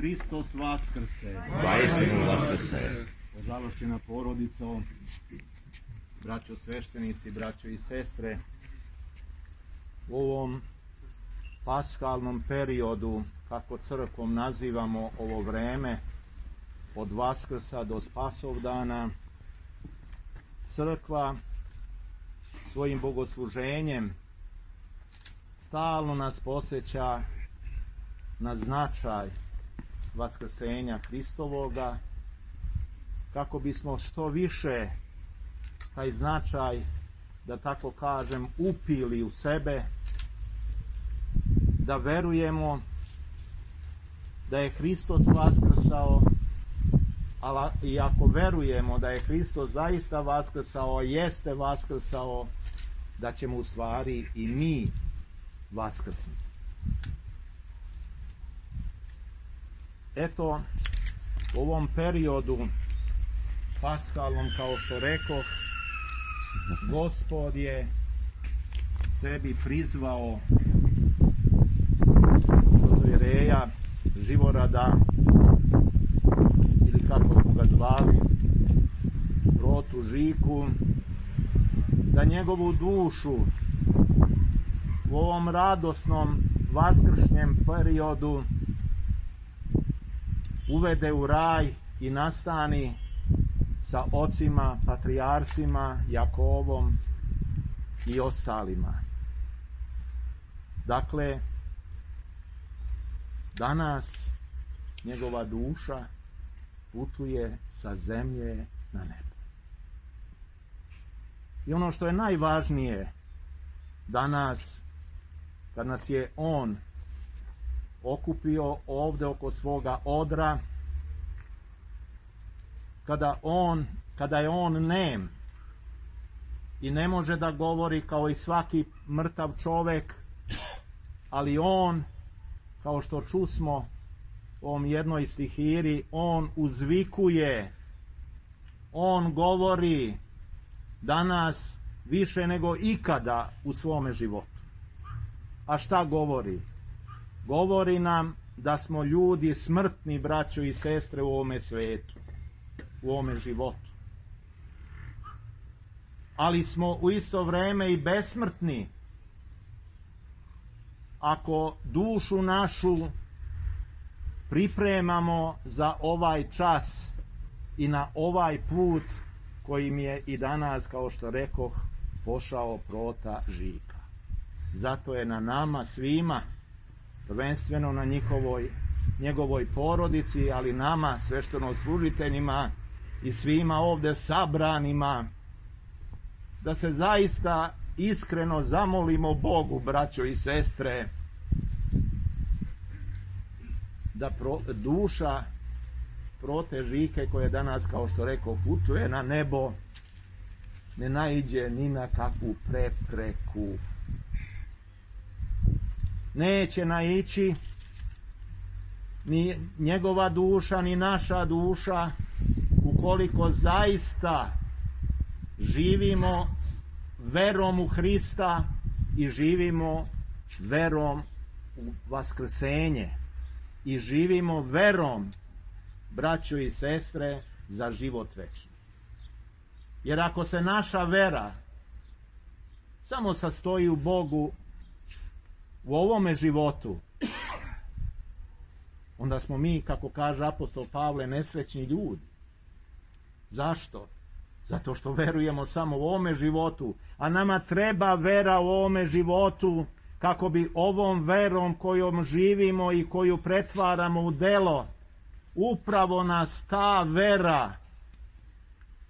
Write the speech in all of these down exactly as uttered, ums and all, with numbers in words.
Hristos vaskrse. Vaistinu vaskrse. Požalošćena porodico, braćo sveštenici, braćo i sestre, u ovom paskalnom periodu, kako crkvom nazivamo ovo vreme, od Vaskrsa do Spasovdana, crkva svojim bogosluženjem stalno nas podsjeća na značaj vaskrsenja Hristovoga, kako bismo što više taj značaj, da tako kažem, upili u sebe, da verujemo da je Hristos vaskrsao, ali i ako verujemo da je Hristos zaista vaskrsao, jeste vaskrsao, da ćemo u stvari i mi vaskrsnuti. Eto, u ovom periodu paskalnom, kao što rekoh, Gospod sebi prizvao Protojereja Živorada, ili kako smo ga zvali, Protu Žiku, da njegovu dušu u ovom radosnom vaskršnjem periodu uvede u raj i nastani sa ocima, patrijarsima, Jakovom i ostalima. Dakle, danas njegova duša putuje sa zemlje na nebo. I ono što je najvažnije danas, kad nas je on okupio ovde oko svoga odra, kada on, kada je on nem i ne može da govori kao i svaki mrtav čovek, ali on, kao što čusmo u ovom jednoj stihiri, on uzvikuje, on govori danas više nego ikada u svome životu. A šta govori? Govori nam da smo ljudi smrtni, braćo i sestre, u ovome svetu, u ovome životu. Ali smo u isto vreme i besmrtni ako dušu našu pripremamo za ovaj čas i na ovaj put kojim je i danas, kao što rekoh, pošao Prota Žika. Zato je na nama svima, prvenstveno na njihovoj, njegovoj porodici, ali nama, sveštenoslужiteljima i svima ovde sabranima, da se zaista iskreno zamolimo Bogu, braćo i sestre, da pro, duša Prote Žike, koja danas, kao što rekao, putuje na nebo, ne naiđe ni na kakvu prepreku. Neće naići ni njegova duša, ni naša duša, ukoliko zaista živimo verom u Hrista i živimo verom u vaskrsenje i živimo verom, braćo i sestre, za život večni. Jer ako se naša vera samo sastoji u Bogu u ovome životu, onda smo mi, kako kaže apostol Pavle, nesrećni ljudi. Zašto? Zato što verujemo samo u ovome životu, a nama treba vera u ovome životu, kako bi ovom verom kojom živimo i koju pretvaramo u delo, upravo nas ta vera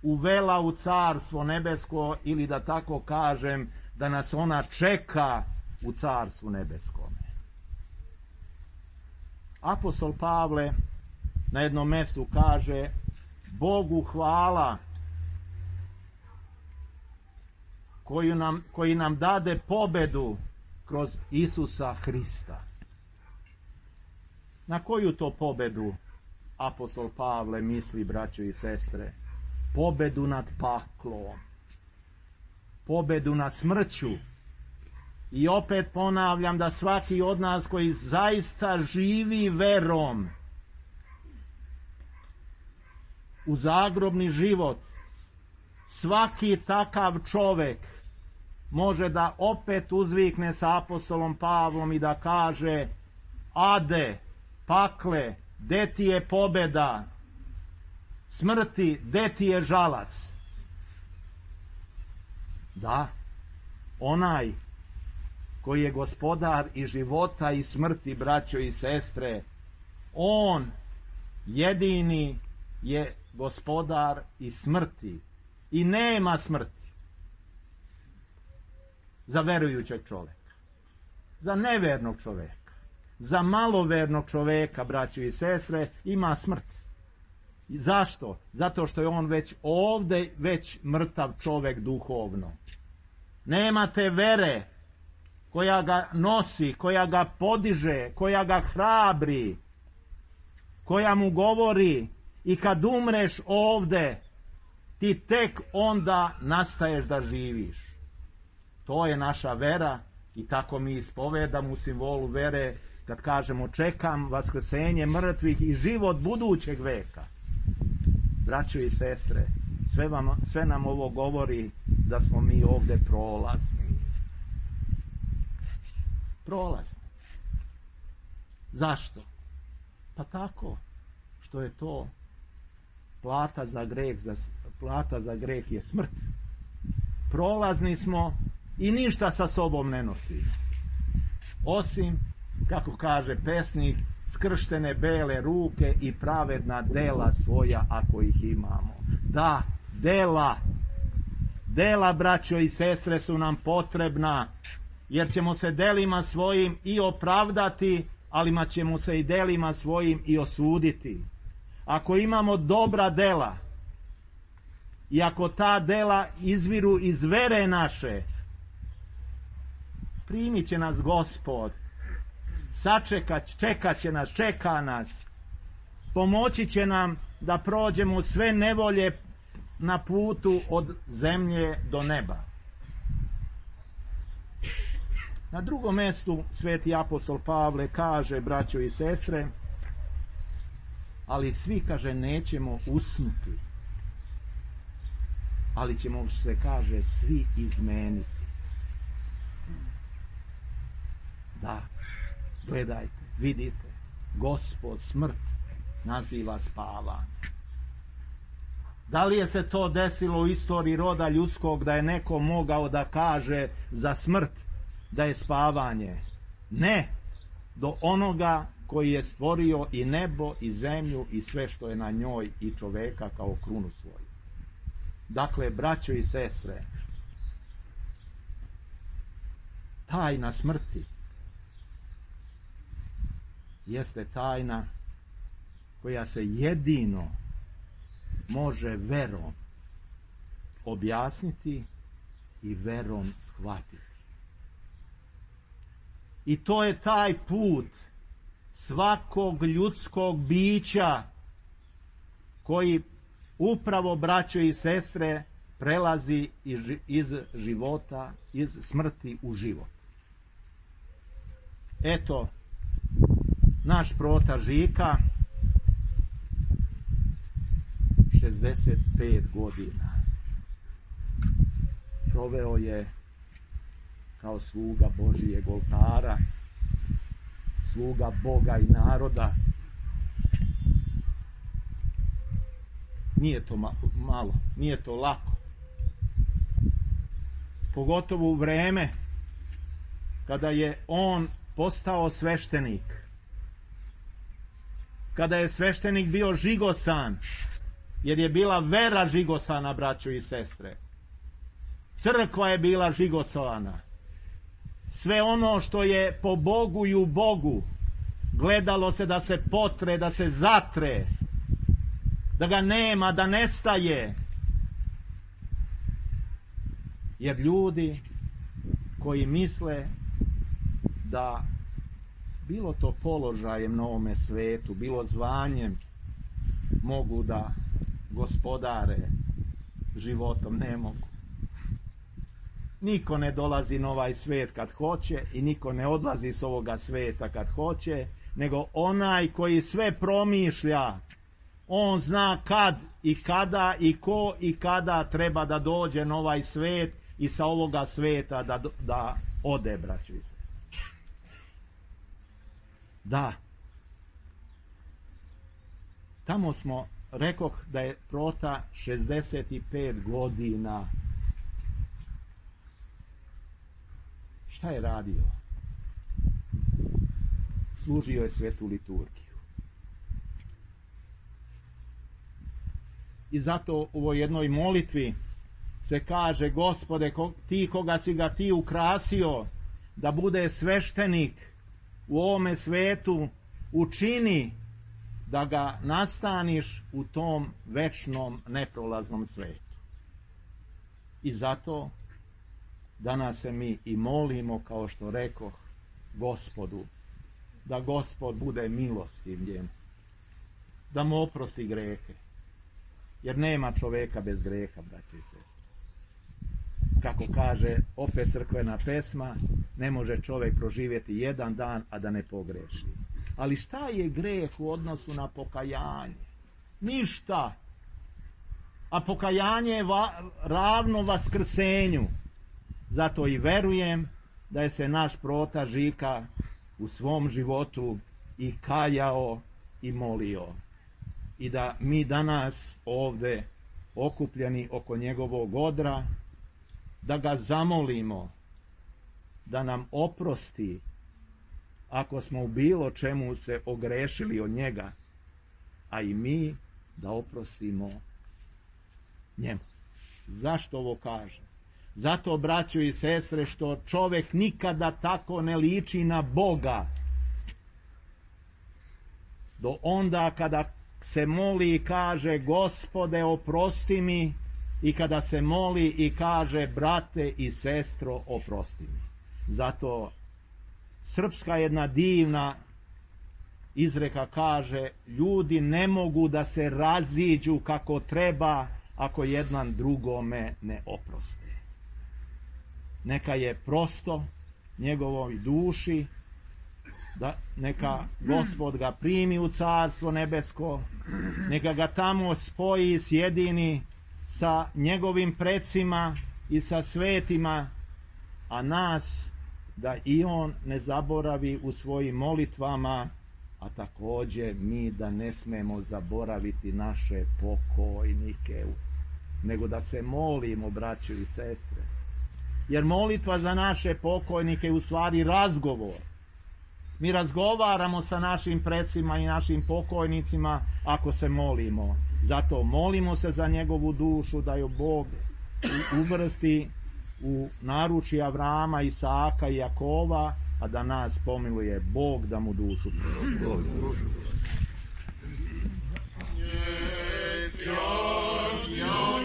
uvela u carstvo nebesko, ili da tako kažem, da nas ona čeka u carstvu nebeskome. Apostol Pavle na jednom mestu kaže: Bogu hvala koju nam, koji nam dade pobedu kroz Isusa Hrista. Na koju to pobedu apostol Pavle misli, braćo i sestre? Pobedu nad paklom, pobedu nad smrću. I opet ponavljam da svaki od nas koji zaista živi verom u zagrobni život, svaki takav čovek može da opet uzvikne sa apostolom Pavlom i da kaže: ade, pakle, gde ti je pobeda? Smrti, gde ti je žalac? Da, onaj koji je gospodar i života i smrti, braćo i sestre, on jedini je gospodar i smrti i nema smrti za verujućeg čoveka, za nevernog čoveka, za malovernog čoveka, braćo i sestre, ima smrt. Zašto? Zato što je on već ovde već mrtav čovek duhovno. Nema te vere koja ga nosi, koja ga podiže, koja ga hrabri, koja mu govori: i kad umreš ovde, ti tek onda nastaješ da živiš. To je naša vera i tako mi ispovedamo u simbolu vere kad kažemo: čekam vaskrsenje mrtvih i život budućeg veka. Braćo i sestre, sve, vam, sve nam ovo govori da smo mi ovde prolazni. Prolazni. Zašto? Pa tako što je to plata za greh, za, plata za greh je smrt. Prolazni smo i ništa sa sobom ne nosimo. Osim, kako kaže pesnik, skrštene bele ruke i pravedna dela svoja, ako ih imamo. Da, dela. Dela, braćo i sestre, su nam potrebna, jer ćemo se delima svojim i opravdati, ali ćemo se i delima svojim i osuditi. Ako imamo dobra dela i ako ta dela izviru iz vere naše, primit će nas Gospod, sačekat, čekat će nas, čeka nas, pomoći će nam da prođemo sve nevolje na putu od zemlje do neba. Na drugom mestu sveti apostol Pavle kaže, braćo i sestre, ali svi, kaže, nećemo usnuti, ali ćemo, se kaže, svi izmeniti. Da, gledajte, vidite, Gospod smrt naziva spavanje. Da li je se to desilo u istoriji roda ljudskog da je neko mogao da kaže za smrt da je spavanje? Ne, do onoga koji je stvorio i nebo i zemlju i sve što je na njoj i čoveka kao krunu svoju. Dakle, braćo i sestre, tajna smrti jeste tajna koja se jedino može verom objasniti i verom shvatiti. I to je taj put svakog ljudskog bića koji upravo, braćo i sestre, prelazi iz života, iz smrti u život. Eto, naš prota Žika, šezdeset pet godina proveo je kao sluga Božijeg oltara, sluga Boga i naroda. Nije to malo, nije to lako. Pogotovo u vreme kada je on postao sveštenik, kada je sveštenik bio žigosan, jer je bila vera žigosana, braćo i sestre. Crkva je bila žigosana. Sve ono što je po Bogu i u Bogu gledalo se da se potre, da se zatre, da ga nema, da nestaje. Jer ljudi koji misle da bilo to položajem na ovome svetu, bilo zvanjem, mogu da gospodare životom, ne mogu. Niko ne dolazi na ovaj svet kad hoće i niko ne odlazi s ovoga sveta kad hoće, nego onaj koji sve promišlja, On zna kad i kada i ko i kada treba da dođe na ovaj svet i sa ovoga sveta da, da ode, braćo i sestre. Da. Tamo smo, rekoh da je Prota šezdeset pet godina. Šta je radio? Služio je svetu liturgiju. I zato u ovoj jednoj molitvi se kaže: Gospode, ti koga si ga ti ukrasio da bude sveštenik u ovome svetu, učini da ga nastaniš u tom večnom neprolaznom svetu. I zato danas se mi i molimo, kao što rekoh, Gospodu, da Gospod bude milostiv njemu, da mu oprosti grehe, jer nema čoveka bez greha, braće i sestre. Kako kaže opet crkvena pesma, ne može čovek proživjeti jedan dan, a da ne pogreši. Ali šta je greh u odnosu na pokajanje? Ništa. A pokajanje je va, ravno vaskrsenju. Zato i verujem da je se naš Prota Žika u svom životu i kajao i molio. I da mi danas ovde okupljeni oko njegovog odra, da ga zamolimo da nam oprosti ako smo u bilo čemu se ogrešili od njega, a i mi da oprostimo njemu. Zašto ovo kažem? Zato, braćo i sestre, što čovek nikada tako ne liči na Boga do onda kada se moli i kaže: Gospode, oprosti mi, i kada se moli i kaže: brate i sestro, oprosti mi. Zato srpska jedna divna izreka kaže: ljudi ne mogu da se raziđu kako treba ako jedan drugome ne oproste. Neka je prosto njegovoj duši, da neka Gospod ga primi u Carstvo nebesko, neka ga tamo spoji, sjedini sa njegovim precima i sa svetima, a nas da i on ne zaboravi u svojim molitvama, a takođe mi da ne smemo zaboraviti naše pokojnike, nego da se molimo, braćo i sestre. Jer molitva za naše pokojnike je u stvari razgovor. Mi razgovaramo sa našim precima i našim pokojnicima ako se molimo. Zato molimo se za njegovu dušu, da ju Bog uvrsti u naručje Avrama, Isaka i Jakova, a da nas pomiluje Bog, da mu dušu prosti.